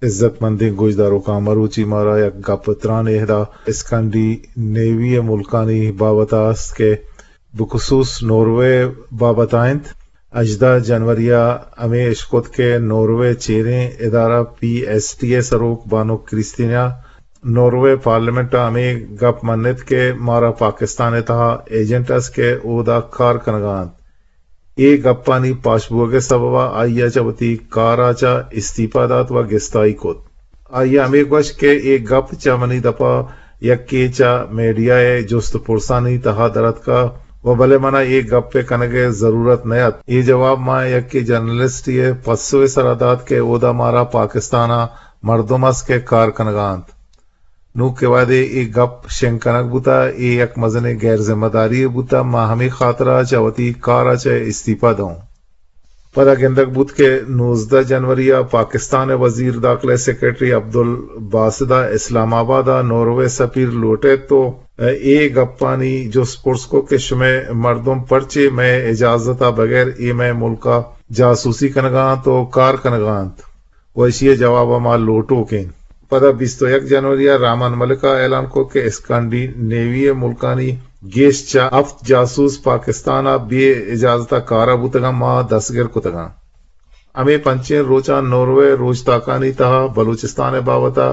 عزت مندیں گوشداروکاں، مروچی مارا یک گپ تران اہدا اسکانڈی نیوی ملکانی بابت است کہ بخصوص نوروے بابت انت۔ ہژدہ جنوری ء ہمے اشکت کہ نوروے چیریں ادارہ پی ایس ٹی ء سروک بانک کریستینا نوروے پارلیمنٹ ء ہمے گپ منت کہ مارا پاکستان ء تہا ایجنٹ است کہ اودا کار کنگا انت۔ اے گپانی پاش بوگ ء سبب ء آئی ء چہ وتی کار ء چہ استیپا دات و گستائی کت۔ آئی ء ہمے گوشت کہ اے گپ چہ منی دپ ء یکے چہ میڈیا ء جست پرسانی تہا در اتکا و بلے من ء اے گپ ء کنگ ء ضرورت نہ ات۔ اے جواب ما یکے جرنلسٹے ء پسو ء سرا دات کہ اودا مارا پاکستان ء مردم است کہ کار کنگا انت۔ نوں کہ وہدے اے گپ شنگ کنگ بوتہ، اے یک مزنیں غیر ذمہ داری یے بوتہ، ما ہمے خاطرا چہ وتی کارا چہ استیپا دئوں۔ پدا گندگ بوت کہ نوزدہ جنوری ء پاکستان ء وزیر داخلہ ء سیکرٹری عبدالباسط ء اسلام آباد ء نوروے سفیر لوٹ ایت و اے گپانی جست پرس کت کہ شمئے مردم پرچے مئے اجازت ء بغیر اے مئے ملک ء جاسوسی کنگا انت و کار کنگا انت؟ و ایشی ء جواب ء ما لوٹوک ایں۔ پدا بیست و یک جنوری ء رحمان ملک ء اعلان کت کہ اسکانڈینیوی ملکانی گیش چہ ہفت جاسوس پاکستان ء بے اجازت ء کار ء بوتگاں، ما دستگر کتگاں۔ ہمے پنچیں روچاں نوروے روچتاکانی تہا بلوچستان ء بابت ء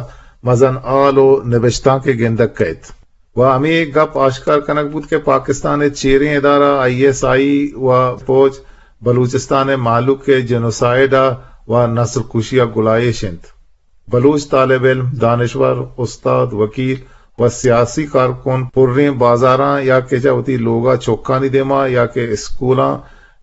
مزن ہال و نبشتانکے گندگ کئیت۔ و ہمے گپ آشکار کنگ بوت کہ پاکستان ء چیریں ادارہ آئی ایس آئی و فوج بلوچستان ء مہلوک ء جنوسائیڈ ء و نسل کشی ء گلائیش انت۔ بلوچ طالب علم، دانشور، استاد، وکیل و سیاسی کارکن پریں بازاراں یا کہ چہ وتی لوگ ء چکانی دیما یا کہ اسکولاں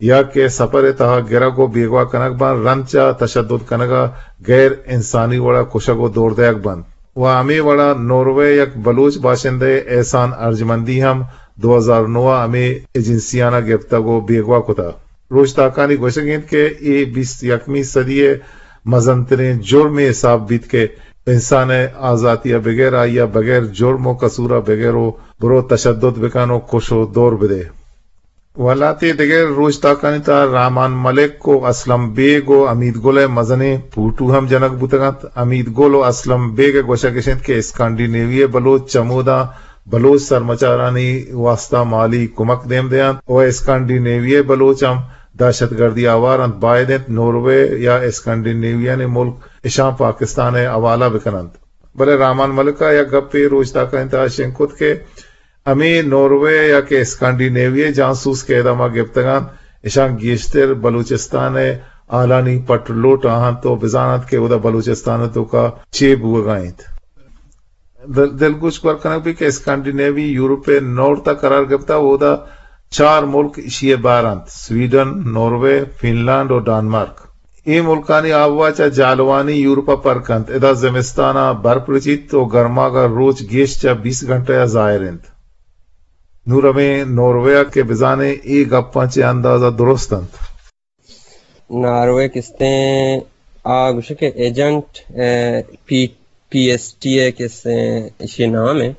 یا کہ سفر ء تہا گرگ و بیگواہ کنگ باں، رند چہ تشدد کنگ ء غیر انسانی وڑ ء کشگ و دور دئیگ بنت۔ و ہمے وڑا نوروے یک بلوچ باشندہ احسان ارجمندی ہم دو ہزار نو ء ہمے ایجنسیانا گپتگ و بیگواہ کتہ۔ روچتاکانی گوشگ انت کہ اے بیست یکمی صدی ء مزنتریں جرمے حساب بیت کہ انسان ء آزاتی ء بغیر، آئی ء بغیر جرم و قصور ء بغیر و برو تشدد بکن و کش و دور بدے۔ و لہتے دگہ روچتاکانی تہا رحمان ملک و اسلم بیگ و حمید گل ء مزنیں پوٹو ہم جنگ بوتگ انت۔ حمید گل و اسلم بیگ ء گوشگ اش انت کہ اسکانڈینیوی ء بلوچ چموداں بلوچ سرمچارانی واستا مالی کمک دیم دیانت و اسکانڈینیوی ء بلوچ ہم دہشت گردی آوار انت، باید انت نوروے یا اسکانڈینیویانی ملک اشاں پاکستان ء حوالہ بکننت۔ بلے رحمان ملک ء یک گپے روچتاکانی تہا شنگ کت کہ ہمے نوروے یا کہ اسکانڈینیوی ء جاسوس کہ ادا ما گپتگاں، اشاں گیشتر بلوچستان ء حالانی پٹ لوٹ آہاں تو بزانت کہ اودا بلوچستان ء توکا چے بوگا انت۔ دل-، دلگوش گور کنگ بی کہ اسکانڈینیوی یورپ ء نارتھ ء قرار گپتا، اودا چار ملک اشی ء بہر انت، سویڈن، نوروے، فنلینڈ و ڈانمارک۔ اے ملکانی آبوا چہ جہلوانی یورپ ء پر کنت۔ ادا زمستان ء برپ رچیت و گرماگ ء روچ گیش چہ بیست گھنٹہ ء ظاہر انت۔ نوں رویں نوروے ء کہ بزانیں اے گپاں چہ اندازہ درست انت۔ ناروے کستیں آ گوشے کہ ایجنٹ، اے، پی، پی ایس ٹی ء کستیں ایشی نام ء۔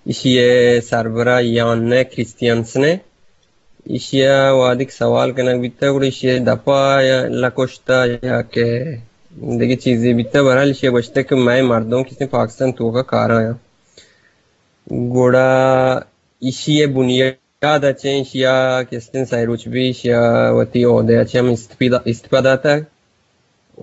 ایشی ء سربراہ یانہ کریستیانسن ء۔ ایشی ء وہدیکہ سوال کنگ بیتگ، گڑا ایشی ء دپا یا لکشتہ یا کہ دگہ چیزے بیتگ، بہرحال ایشی ء گوشتگ کہ مئے مردم کستیں پاکستان توکا کارا آں۔ گڑا ایشی ء بنیاد ء چہ ایشی ء کستیں سئے روچ بی ایشی ء وتی عہدہ ء چہ ہم استفی-، استعفی داتگ۔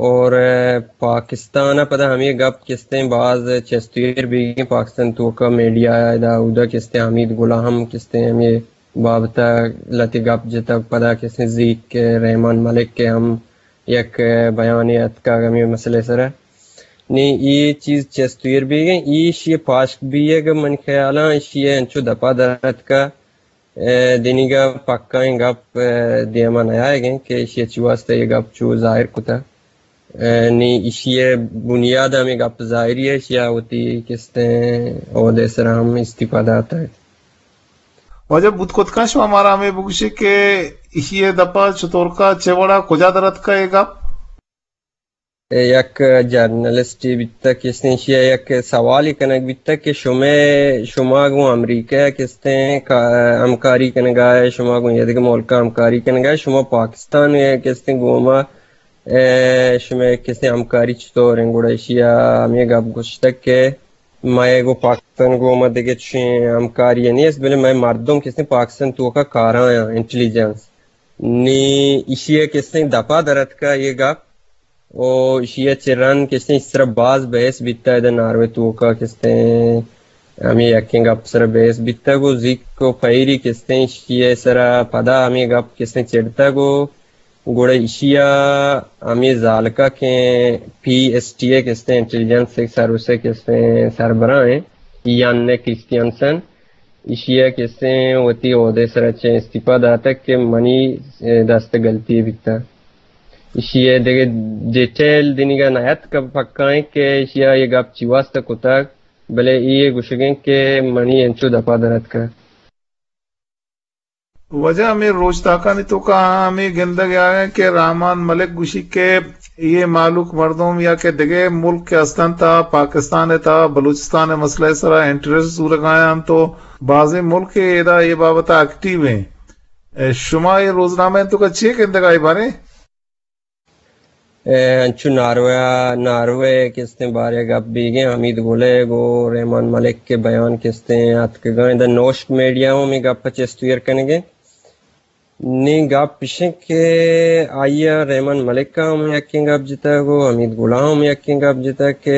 اور، ء، پاکستان ء پدا ہمے گپ کستیں باز چست و ایر بیگیں، پاکستان توکا میڈیا ء ادا اودا کستیں حمید گل ء ہم کستیں ہمے بابت ء لہتے گپ جتگ، پدا کستیں زیک رحمان ملک ء ہم یک بیانے اتکگ ہمے مسئلہ ء سرا۔ نی اے چیز چست و ایر بیگیں، ایشی ء پاشک بیگ من خیالاں ایشی ء انچو دپا در اتکا، ء، دنیگا پکائیں گپ، ء، دیما نیایگیں کہ ایشی ء چی واسطہ اے گپ چو ظاہر کتا۔ ء، نی ایشی ء بنیاد ہمیں گپ ظاہری ہے، ایشی ء وتی کستیں عہدے سرا ہم استعفی داتا۔ واجہ بوت کت کن شما مارا ہمیں بگوشے کہ ایشی ء دپا چطورکا چہ وڑا کجا در اتکا اے گپ؟ یک جرنلسٹے بیتگ کہ ایشی ء یک سوالے کنگ بیتگ کہ شمے، شما گوں امریکہ ء کستیں کا-، ہمکاری کنگا ئے، شما گوں ایدگہ ملکاں ہمکاری کنگا ئے، شما پاکستان ء کستیں گوما اے، شمئے کسیں ہمکاری چطور انت؟ گڑا ایشی ءَ ہمے گپ گوشتگ کہ مئے گوں پاکستان گوں ما دگہ چشیں ہمکاری نیست، بلے مئے مردم کسیں پاکستان توکا کاراں، انٹیلیجنس۔ نی ایشی ءَ کسیں دپا درتکا اے گپ، او ایشی ءَ چہ رند کسیں سرا باز بحث بیتا ادا ناروے توکا کسیں ہمے یکیں گپ سرا بحث بیتگ و زیک و پئیری کسیں ایشی ءِ سرا پدا ہمے گپ کسیں چڑتگ و گڑا ایشی ءَ ہمے زالکا کہ پی ایس ٹی ءِ کسیں انٹیلیجنس سروس ءِ کسیں سربراہ ایں، یان کرسٹیانسن، ایشی ءَ کسیں وتی عہدہ سرا چہ استعفا داتگ کہ منی دست غلطی بیتا۔ ایشی ءِ دگہ ڈیٹیل دنیگا نیاتک، پکا ایں کہ ایشی ءَ اے گپ چی واسطہ کتگ، بلے اے گوشگیں کہ منی انچو دپا درتکگ۔ وجہ ہمے روچ تاکانی توکا ہمے گندگ ءَ آیاں کہ رحمان ملک گوشی کہ اے مہلوک مردم یا کہ دگہ ملک کہ استنت، پاکستان ءِ تہا بلوچستان ءِ مسئلہ ءِ سرا انٹرسٹ زورگ ءَ آیاں، تو بازیں ملک ادا اے بابت ءَ ایکٹیو ایں۔ اے، شما اے روزنامہ ءِ توکا چے گندگ ءَ اے باریں؟ اے، انچو ناروے ءَ، ناروے ءِ کستیں بارے ءَ گپ بیگیں، حمید گل ءِ گوں رحمان ملک ءِ بیان کستیں اتکگاں، ادا نوشک میڈیا ہم اے گپ ءَ چست و ایر کنگیں۔ نی گپ اش انت کہ آئی ءَ، رحمان ملک ءَ ہم یکیں گپ جتگ و حمید گل ءَ ہم یکیں گپ جتگ کہ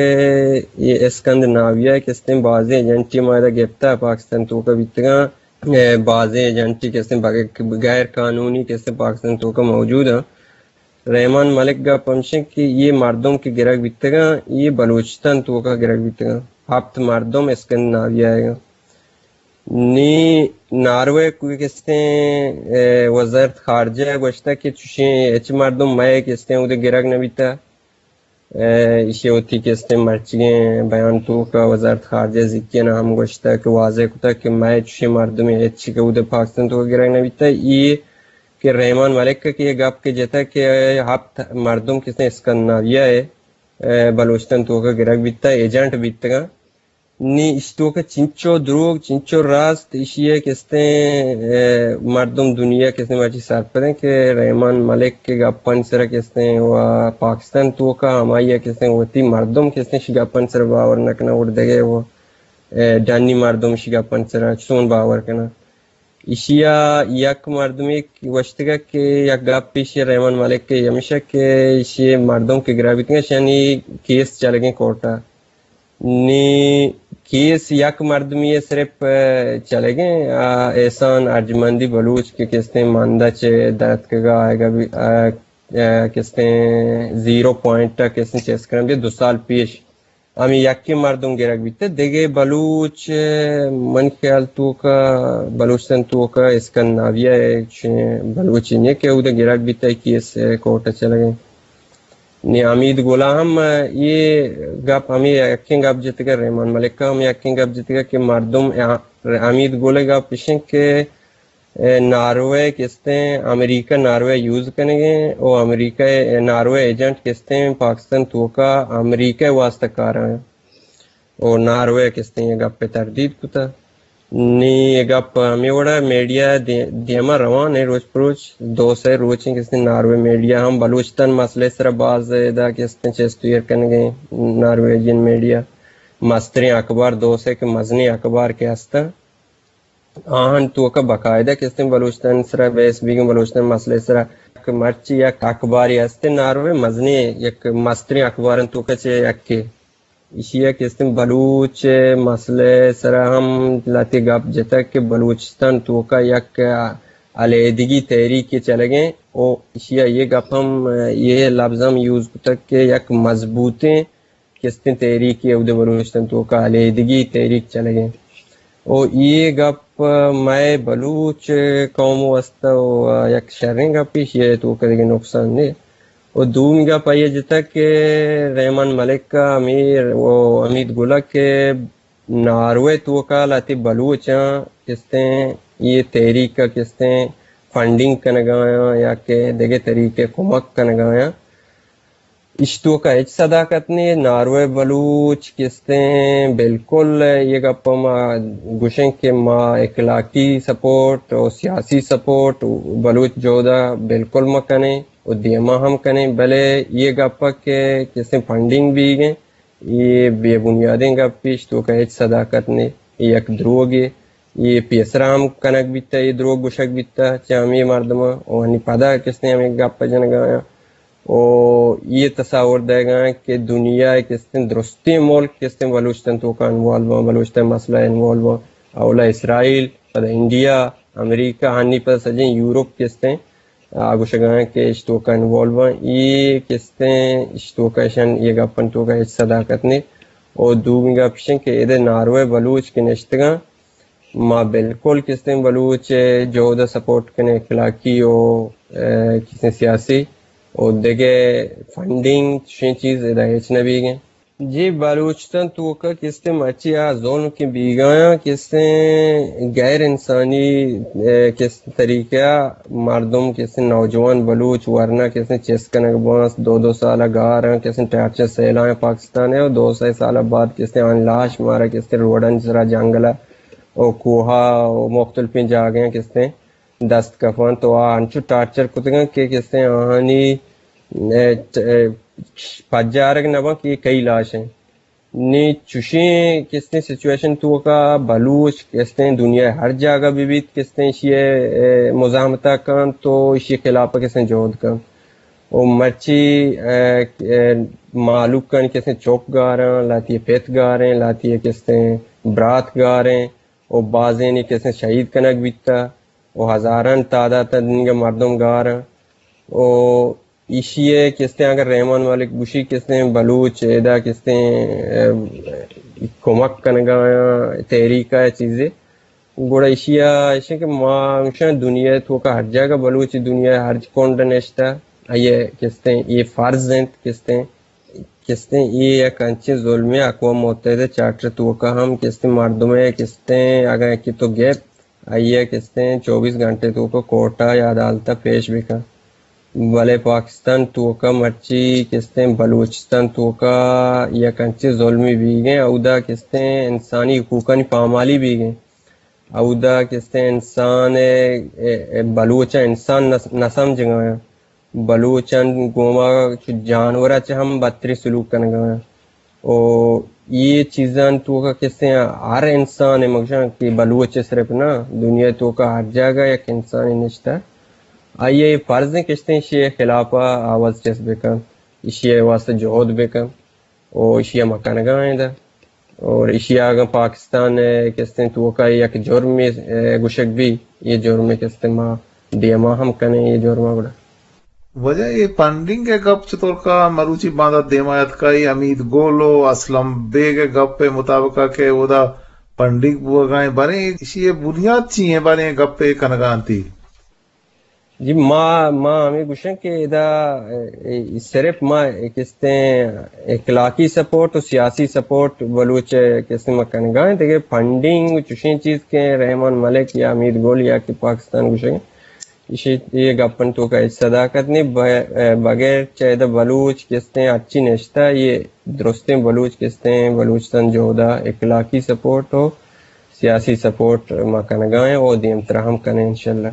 اے اسکندناویہ ءِ کستیں بازیں ایجنٹے ما ادا گپتہ، پاکستان توکا بیتگاں، اے، بازیں ایجنٹے کستیں بغ-، غیر قانونی کستیں پاکستان توکا موجود ایں۔ رحمان ملک گپ ہمشیں کہ اے مردم کہ گرگ بیتگاں، اے بلوچستان توکا گرگ بیتگاں۔ ہپت مردم اسکندناویہ ءَ ایں۔ نی ناروے کوئی کستیں، اے، وزارت خارجہ ءَ گوشتگ کہ چوشیں ہچ مردم مئے کستیں اودے گرگ نہ بیتہ۔ اے، ایشی وتی کستیں مرچیگیں بیان توکا وزارت خارجہ زیکین ہم گوشتگ کہ واضح کتگ کہ مئے چوشیں مردمے ہچ کہ اودے پاکستان توکا گرگ نہ بیتہ۔ اے کہ رحمان ملک کہ اے گپ کہ جتگ کہ ہپت مردم کستیں اسکندناویہ ءَ، اے، بلوچستان توکا گرگ بیتہ، ایجنٹ بیتگاں۔ نی اشی توکا چنچو دروگ، چنچو راست، ایشی ءَ کستیں، اے، مردم دنیا کستیں مرچی سرپدیں کہ رحمان ملک ءِ گپانی سرا کستیں و پاکستان توکا ہمائی ءَ کستیں وتی مردم کستیں اشی گپانی سرا باور نہ کناں، اور دگہ و، اے، ڈنی مردم اشی گپانی سرا چون باور کناں۔ ایشی ءَ یک مردمے گوشتگ کہ یک گپ ایشی رحمان ملک ءِ ہمیش کہ ایشی مردم کہ گرگ بیتگاں، ایشانی کیس چلگیں کورٹ ءَ۔ نی کیس یک مردمی ءِ صرف، اے، چلگیں، آ، احسان ارجمندی بلوچ کہ کستیں ماندہ چہ درتکگا آئیگا بی-، آ، آ، کستیں زیرو پوائنٹ ءَ کستیں چیس کرم دے دو سال پیش ہمے یکیں مردم گرگ بیتہ۔ دگہ بلوچ، من خیال توکا، بلوچستان توکا اسکندناویہ ءَ چہ بلوچے نہ کہ اودے گرگ بیتہ، کیس کورٹ ءَ چلگیں۔ نی حمید گل ءَ ہم اے گپ، ہمے یکیں گپ جتگ، رحمان ملک ءَ ہم یکیں گپ جتگ کہ مردم، حمید گل ءِ گپ اش انت کہ اے، ناروے کستیں امریکہ ناروے یوز کنگیں و امریکہ ءِ ناروے ایجنٹ کستیں پاکستان توکا امریکہ ءِ واسطہ کاراں و ناروے کستیں اے گپ ءَ تردید کتا۔ نی اے گپ ہمے وڑا میڈیا دی-، دیما روان ایں روچ پروچ، دو سے روچیں کستیں ناروے میڈیا ہم بلوچستان مسئلہ سرا باز ادا کستیں چست و ایر کنگیں۔ نارویجین میڈیا مستریں اخبار، دو سے کہ مزنیں اخبار کہ ہستاں، آہان توکا باقاعدہ کستیں بلوچستان سرا بحث بیگیں، بلوچستان مسئلہ سرا کہ مرچی یک اخباری ہستیں ناروے مزنیں یک مستریں اخباران توکا چہ یکے۔ ایشی ءَ کستیں بلوچ مسئلہ سرا ہم لہتے گپ جتگ کہ بلوچستان توکا یک علیحدگی تحریک چلگیں و ایشی ءَ یہ گپ ہم، یہ لفظ ہم یوز کتگ کہ یک مضبوطیں کستیں تحریکے اودے بلوچستان توکا علیحدگی تحریک چلگیں۔ و اے گپ مئے بلوچ قوم واسطہ و یک شریں گپے، ایشی توکا دگہ نقصان نے۔ و دومی گپ آئی جتگ کہ رحمان ملک ءَ امیر و حمید گل ءَ کہ ناروے توکا لہتے بلوچاں کستیں اے تحریک ءَ کستیں فنڈنگ کنگایاں یا کہ دگہ طریقے کمک کنگایاں۔ ایش توکا ہچ صداقت نے۔ ناروے بلوچ کستیں بالکل یہ گپ ما گوشیں کہ ما اخلاقی سپورٹ و سیاسی سپورٹ بلوچ جہد ءَ بالکل مکنیں۔ و دیما ہم کنیں، بلے یہ گپ کہ کسیں فنڈنگ بیگیں، یہ بے بنیادیں گپے، اشی توکا ہچ صداقت نے، یہ یک دروگے، یہ پیسرا ہم کنگ بیتا، یہ دروگ گوشگ بیتا چہ ہمے مردماں، و ہنی پدا کسیں ہمے گپ جنگا آیاں۔ و یہ تصور دئیگا کہ دنیا کسیں درستیں ملک کسیں بلوچستان توکا انوالو باں، بلوچستان مسئلہ انوالو باں، اولا اسرائیل، پدا انڈیا، امریکہ، ہنی پدا سجیں یورپ کسیں آ گوشگا کہ اش توکا انوالو باں، یہ کسیں اش توکا اشان یہ گپن توکا ہچ صداقت نے۔ و دومی گپ اشیں کہ ادے ناروے بلوچ کہ نشتگاں، ما بالکل کسیں بلوچ جہد سپورٹ کنیں، اخلاقی و، اے، کسیں سیاسی و دگہ فنڈنگ چشیں چیز ادا ہچ نہ بیگیں۔ جی، بلوچستان توکا کسیں مرچی آ ظلم کہ بیگایاں، کسیں غیر انسانی، اے، کس طریقہ مردم، کسیں نوجوان بلوچ ورنا کسیں چست کنگ بانس، دو دو سال گاراں، کسیں ٹارچر سیلائیں پاکستان ہے، و دو سہ سال بعد کسیں آن لاش مارا کسیں روڈن سرا جنگل و کوہا و مختلفیں جاگہیں کسیں دست کپاں، تو آ انچو ٹارچر کتگاں کہ کسیں آہانی، اے، اے، پجارگ نہ باں کہ یہ کئی لاش ہیں۔ نی چوشیں کستیں سچویشن توکا بلوچ کستیں دنیا ہر جاگہ بہ بیت، کستیں ایشی ء، اے، مزاحمتا کنت تو ایشی خلاف کستیں جہد کنت۔ و مرچی، اے، اے، مہلوکانی کستیں چک گاریں، لہتی پت گاریں، لہتی کستیں برات گاریں، و بازینی کستیں شہید کنگ بیتا، و ہزاران تعداد دنگا مردم گاریں۔ و ایشی ء کستیں اگر رحمان ملک گوشی کستیں بلوچ ادا کستیں، ام، کمک کنگا آیاں تحریک ء چیزے، گڑا ایشی ء ایشی کہ ما گوشاں دنیا ء توکا ہر جاگہ بلوچ دنیا ء ہر کنڈ نشتہ، آئی ء کستیں یہ فرض انت کستیں، کستیں یہ یک انچیں ظلمے اقوام متحدہ چارٹر توکا ہم کستیں مردم ء کستیں اگر کہ تو گپت آئی ء کستیں چوبیس گھنٹے توکا کورٹ ء یا عدالت ء پیش بکن۔ بلے پاکستان توکا مرچی کستیں بلوچستان توکا یک انچیں ظلمی بیگیں، اودا کستیں انسانی حقوقانی پامالی بیگیں، اودا کستیں انسان ء، ء، ء بلوچ ء انسان نہ، نہ سمجھگا آں۔ بلوچاں گوما چو جانور ء چہ ہم بدتریں سلوک کنگا آں۔ و یہ چیزاں توکا کسے ہر انسان ء مگشاں کہ بلوچ ء صرف نہ، دنیا توکا ہر جاگہ یک انسان نشتہ، آئی ء فرض کشتے ایشی ء خلاف آواز چست بکن، ایشی ء واسطہ جہد بکن و ایشی ء مکنگا آئندہ۔ اور ایشی ء اگاں پاکستان ء کستیں توکا یک جرمے، ء، گوشگ بی، یہ جرمے کستیں ما دیما ہم کنیں یہ جرم ء گڑا۔ واجہ یہ فنڈنگ ء گپ چطور کا مروچی باندات دیما اتکا، یہ حمید گل و اسلم بیگ ء گپ ء مطابق کہ اودا فنڈنگ بوگا ایں، باریں ایشی ء بنیاد چی ہیں، باریں گپ ء کنگا انتی؟ جی، ما، ما ہمیں گوشیں کہ ادا، اے، صرف ما کستیں اخلاقی سپورٹ و سیاسی سپورٹ بلوچ کستیں ما کنگا ہیں، دیگہ فنڈنگ و چشیں چیز کہ رحمان ملک یا حمید گل یا کہ پاکستان گوشیں، ایشی یہ گپن توکا ہچ صداقت نہیں۔ ب-، بغیر چہ ادا بلوچ کستیں اچی نشتہ، یہ درستیں بلوچ کستیں بلوچستان جہدا اخلاقی سپورٹ و سیاسی سپورٹ ما کنگا ہیں و دیمترا ہم کنیں انشاءاللہ۔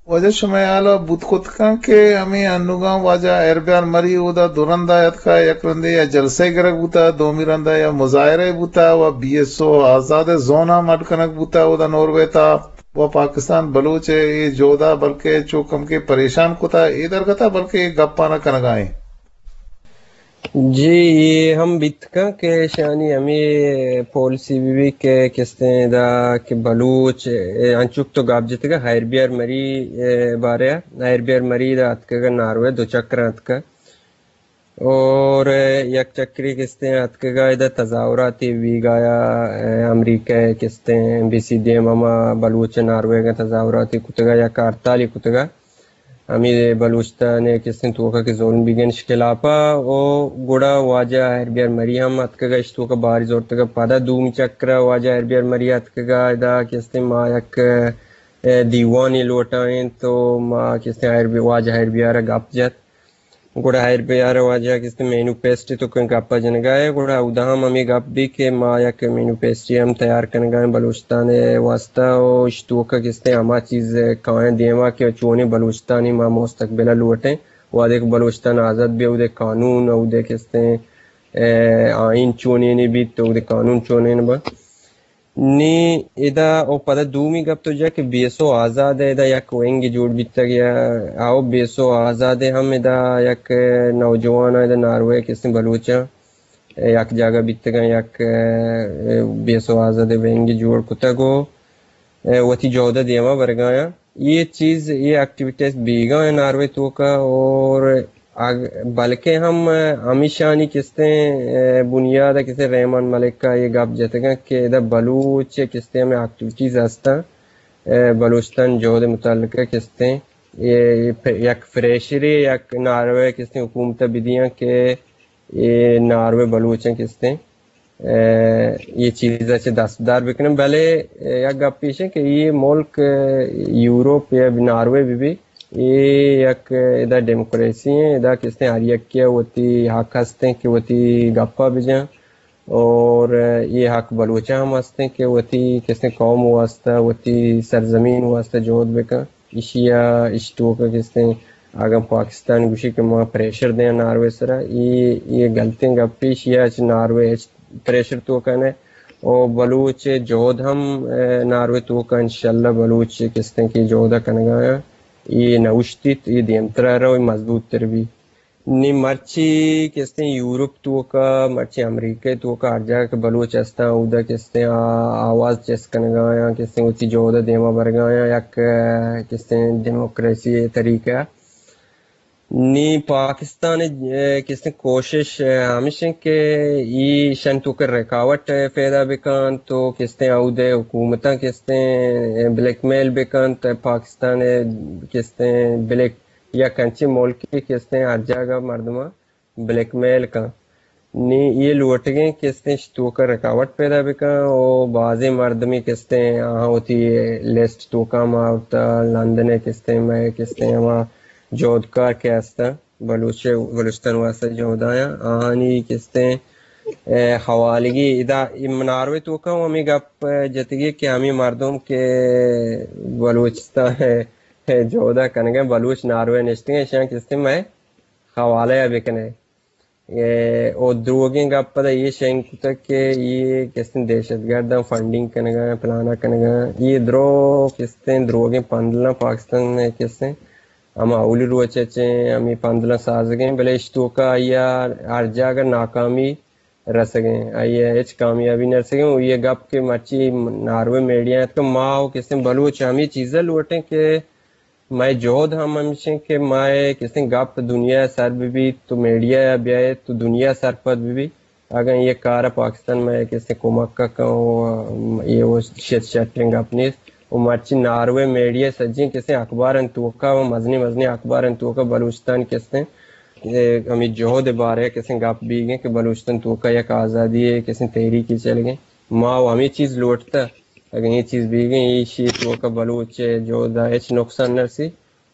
واجہ شمئے ہیالا بوت کت کن کہ ہمے انوگاں واجہ ہیربیار مری اودا دو رندا اتکا، یک رندے یا جلسہ گرگ بوتا، دومی رندا یا مظاہرہ بوتا و بی ایس او آزاد زونا مڈ کنگ بوتا اودا ناروے تا و پاکستان بلوچ اے جہدا بلکہ چو کمکے پریشان کتا اے درگتا بلکہ اے گپانا کنگا ایں۔ جی، یہ ہم بیت کن کہ شانی ہمیں پالیسی بھی، بھی کہ کستیں دا کہ بلوچ، اے، انچوک تو گپ جتگا ہیر بیار مری، اے، بارے ہیر بیار مری دا اتکگا ناروے دو چکر اتکا اور یک چکری کستیں اتکگا ادا تظاہراتی بیگایا، اے، امریکہ کستیں ایمبیسی دیم ہما بلوچ ناروے گا تظاہراتی کتگا یا ہڑتالی کتگا۔ ہمے بلوچستان ء کستیں توکا کہ ظلم بیگن اش خلافا او گڑا واجہ ہیر بیار مری ہم اتکگا اش توکا باری زورتگا۔ پدا دومی چکرا واجہ ہیر بیار مری اتکگا ادا کستیں ما یک، اے، دیوانے لوٹائیں تو ما کستیں ہیر بی-، واجہ ہیر بیار گپ جت۔ گڑا ہیر بیار واجہ کستیں مینوفیسٹو تو کن گپا جنگا ہے، گڑا اودا ہم ہمیں گپ بھی کہ ما یک مینوفیسٹو ہم تیار کنگا ہیں بلوچستان واسطہ، و اش توکا کستیں ہما چیز کائیں دیما کہ چونیں بلوچستانی ما مستقبل لوٹیں، وہدے کہ بلوچستان آزاد بی، اودے قانون، اودے کستیں، اے، آئین چونینے بیت، اودے قانون چونین بنت۔ نی ادا او پدا دومی گپ تو جا کہ بی ایس او آزاد ءِ ادا یک ونگے جوڑ بیتگ یا آ، او بی ایس او آزاد ءِ ہم ادا یک نوجوان ادا ناروے کستیں بلوچاں یک جاگہ بیتگاں، یک، اے، بی ایس او آزاد ءِ ونگے جوڑ کتگ و، اے، وتی جہد ءَ دیما برگایاں۔ یہ چیز، یہ ایکٹیویٹیز بیگا ہیں ناروے توکا اور اگ-، بلکہ ہم ہمیشانی کستیں، اے، بنیاد کستیں رحمان ملک کا یہ گپ جتگاں کہ ادا بلوچ کستیں ہمیں ایکٹیویٹیز ہستاں، اے، بلوچستان جہد متعلق کستیں یہ، یہ پ-، یک فریشرے، یک ناروے کستیں حکومت بدیاں کہ یہ ناروے بلوچیں کستیں اے، یہ چیز ءَ چہ دستدار بکنن، بلے، اے، یک گپ ایش کہ یہ ملک، اے، یورپ یا ناروے بہ بی، یہ یک ادا ڈیموکریسی ہیں، ادا کستیں ہر یکی وتی حق ہستیں کہ وتی گپا بجن اور یہ حق بلوچاں ہم ہستیں کہ وتی کستیں قوم واسطہ، وتی سرزمین واسطہ جہد بکن۔ ایشی ءَ، ایشی توکا کستیں اگاں پاکستان گوشی کہ ما پریشر دیاں ناروے سرا، ای، ای غلطیں گپے، ایشی ءَ چہ ناروے ہچ پریشر توکا نہ۔ او بلوچ جہد ہم، اے، ناروے توکا انشاءاللہ بلوچ کستیں کہ جہد کنگا آں، ای نہ اوشتیت، ای دیمترا رو، ای مضبوط تر بی۔ نی مرچی کستیں یورپ توکا، مرچی امریکہ توکا ہر جاگہ کہ بلوچ ہستاں، اودا کستیں آ-، آواز چست کنگا آیاں، کستیں وتی جہد دیما برگا آیاں، یک، اے، کستیں ڈیموکریسی طریقہ۔ نی پاکستان، اے، کستیں کوشش، اے، ہمیش انت کہ ایشان توکا رکاوٹ پیدا بکن تو کستیں اودے حکومتاں کستیں، اے، بلیک میل بکن تو پاکستان، اے، کستیں بلیک یک انچیں ملکے کہ استیں ہر جاگہ مردماں بلیک میل کن۔ نی یہ لوٹگیں کہ استیں اشی توکا رکاوٹ پیدا بکن و بازیں مردمی کہ استیں آہاں وتی لسٹ توکا ما آورتا، لندن ء کہ استیں، مئے کہ استیں ہما جہدکار کہ استاں بلوچ، بلوچستان واسطہ جہدایاں، آہانی کہ استیں، اے، حوالگی ادا ناروے توکا ہم ہمیں گپ جتگی کہ ہمیں مردم کہ بلوچستان جہد ء کنگ ء بلوچ ناروے نشتگ ء، ایشاں کہ استیں مئے حوالہ ء بکن ئے۔ اے، او دروگیں گپ پدا یہ شنگ کتگ کہ یہ کہ استیں دہشت گرداں فنڈنگ کنگ ء، پلان ء کنگ ء۔ یہ دروگ کہ استیں دروگیں پندلاں پاکستان ء کہ استیں ہما اولی روچ ء چہ ہمے پندلاں سازگیں، بلے اش توکا آئی ء ہر جاگہ ناکامی رسگیں، آئی ء ہچ کامیابی نہ رسگیں۔ و یہ گپ کہ مرچی ناروے میڈیا اتکا، ما و کسیں بلوچ ہمے چیز ء لوٹیں کہ مئے جہد ہم ہمیشیں کہ مئے کسیں گپ دنیا ء سر بہ بیت، تو میڈیا ء بیائیت تو دنیا سرپد بہ بیت۔ اگاں یہ کار ء پاکستان مئے کسیں کمک ء کن و یہ و شت شٹیں گپ نیست۔ و مرچی ناروے میڈیا سجیں کسیں اخبارانی توکا و مزنیں مزنیں اخبارانی توکا بلوچستان کسیں اے، ہمے جہد ء بارہ ء کسیں گپ بیگ ء کہ بلوچستان توکا یک آزادی ء کسیں تحریکے چلگ ء۔ ما و ہمے چیز لوٹتہ، اگاں اے چیز بیگ ء، ایشی توکا بلوچ جہد ء ہچ نقصان نرسی،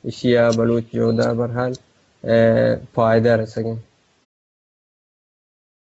ایشی ء بلوچ جہد ء بہرحال، اے، فائدہ رسگ ء۔